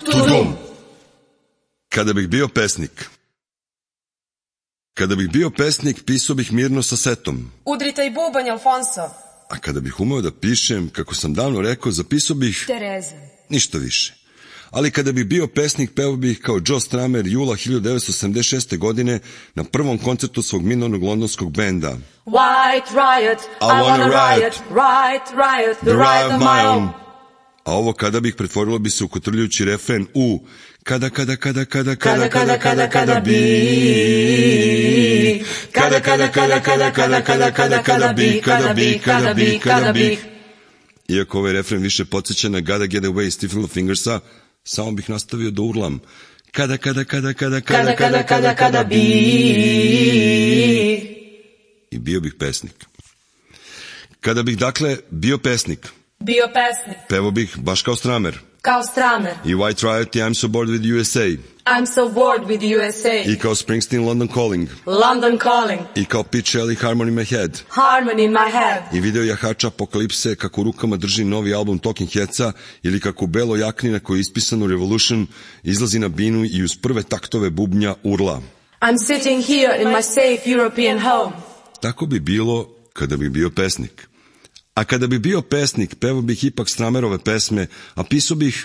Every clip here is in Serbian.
Tudum. Kada bih bio pesnik. Kada bih bio pesnik, pisao bih mirno sa setom. Udri taj bubanj, Alfonso. A kada bih umeo da pišem, kako sam davno rekao, zapisao bih... Tereza. Ništa više. Ali kada bih bio pesnik, pevao bih kao Joe Strummer jula 1976. godine na prvom koncertu svog minornog londonskog benda. White riot, I wanna riot, riot, the riot of my own. A ovo kada bih pretvorilo bi se u kotrljujući refren u kada bi Iako ovaj refren više podsjeća na Gotta Get Away Stiff Little Fingersa, samo bih nastavio da urlam kada bi i bio bih pesnik. Kada bih dakle bio pesnik, pevao bih baš kao Strummer. Kao Strummer. I White Riot i I'm So Bored With USA. I'm so bored with USA. I kao Springsteen London Calling. London Calling. I kao Pete Shelley Harmony in My Head. Harmony in my head. I video jahača Apokalipse kako u rukama drži novi album Talking Headsa ili kako u beloj jakni na kojoj je ispisano Revolution izlazi na binu i uz prve taktove bubnja urla. I'm sitting here in my safe European home. Tako bi bilo kada bi bio pesnik. A kada bi bio pesnik, pevao bih ipak Strummerove pesme, a pisao bih...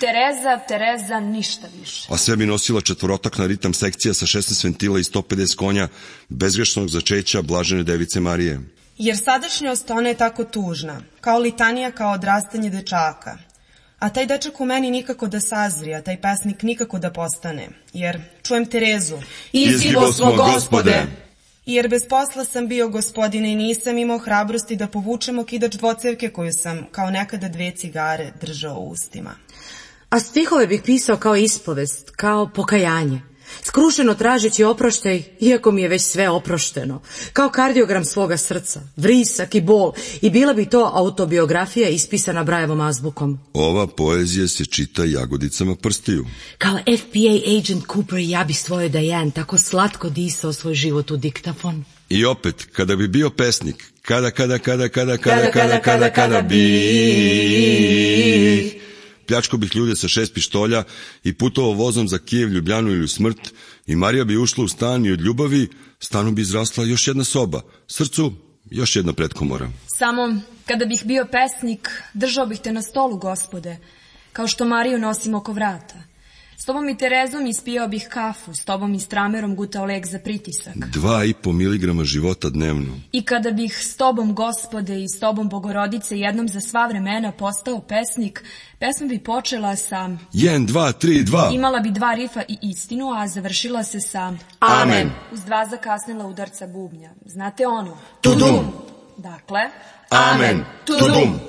Tereza, ništa više. A sve bi nosila četvorotakna ritam sekcija sa 16 ventila i 150 konja, bezgrešnog začeća Blažene Device Marije. Jer sadašnjost ona je tako tužna, kao litanija, kao odrastanje dečaka. A taj dečak u meni nikako da sazri, a taj pesnik nikako da postane. Jer čujem Terezu. Izgibo smo, Gospode. Jer bez posla sam bio, gospodine, i nisam imao hrabrosti da povučem okidač dvocevke koju sam, kao nekada 2 cigare, držao u ustima. A stihove bih pisao kao ispovest, kao pokajanje, skrušeno tražeći oproštaj, iako mi je već sve oprošteno, kao kardiogram svoga srca, vrisak i bol, i bila bi to autobiografija ispisana Brajevom azbukom. Ova poezija se čita jagodicama prstiju. Kao FBA agent Cooper, ja bih svojoj Diane tako slatko disao svoj život u diktafon. I opet, kada bi bio pesnik, kada bi... Pljačko bih ljude sa 6 pištolja i putovao vozom za Kijev, Ljubljanu ili smrt i Marija bi ušla u stan i od ljubavi stanu bi izrasla još jedna soba, srcu još jedna pretkomora. Samo kada bih bio pesnik, držao bih te na stolu, Gospode, kao što Mariju nosim oko vrata. S tobom i Terezom ispijao bih kafu, s tobom i Stramerom gutao lek za pritisak. 2,5 miligrama života dnevno. I kada bih s tobom, Gospode, i s tobom, Bogorodice, jednom za sva vremena postao pesnik, pesma bi počela sa 1, 2, 3, 2. Imala bi 2 rifa i istinu, a završila se sa Amen. Uz 2 zakasnila udarca bubnja. Znate ono? Tudum. Dakle, Amen. Tudum.